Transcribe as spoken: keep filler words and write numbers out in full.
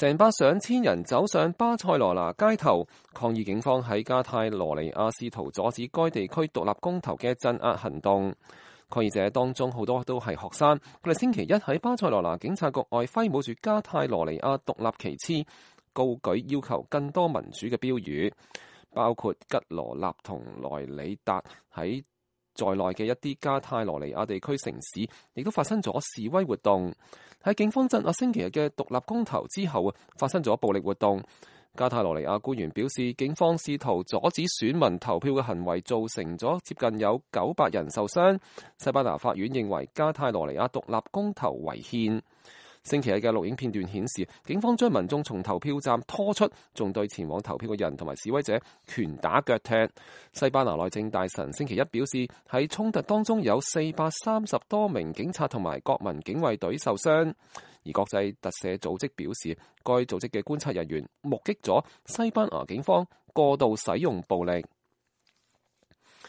成班上千人走上巴塞羅那街頭抗議警方喺加泰羅尼亞試圖阻止該地區獨立公投嘅鎮壓行動。抗議者當中好多都係學生，佢哋星期一喺巴塞羅那警察局外揮舞住加泰羅尼亞獨立旗幟，高舉要求更多民主嘅標語，包括吉羅納同萊里達喺在內嘅一啲加泰羅尼亞地區城市，亦都發生咗示威活動。喺警方鎮壓星期日嘅獨立公投之後，發生咗暴力活動。加泰羅尼亞官員表示，警方試圖阻止選民投票嘅行為，造成咗接近有九百人受傷。西班牙法院認為加泰羅尼亞獨立公投違憲。星期日嘅錄影片段顯示，警方將民眾從投票站拖出，仲對前往投票嘅人同埋示威者拳打腳踢。西班牙內政大臣星期一表示，喺衝突當中有四百三十多名警察同埋國民警衛隊受傷。而國際特赦組織表示，該組織嘅觀察人員目擊咗西班牙警方過度使用暴力。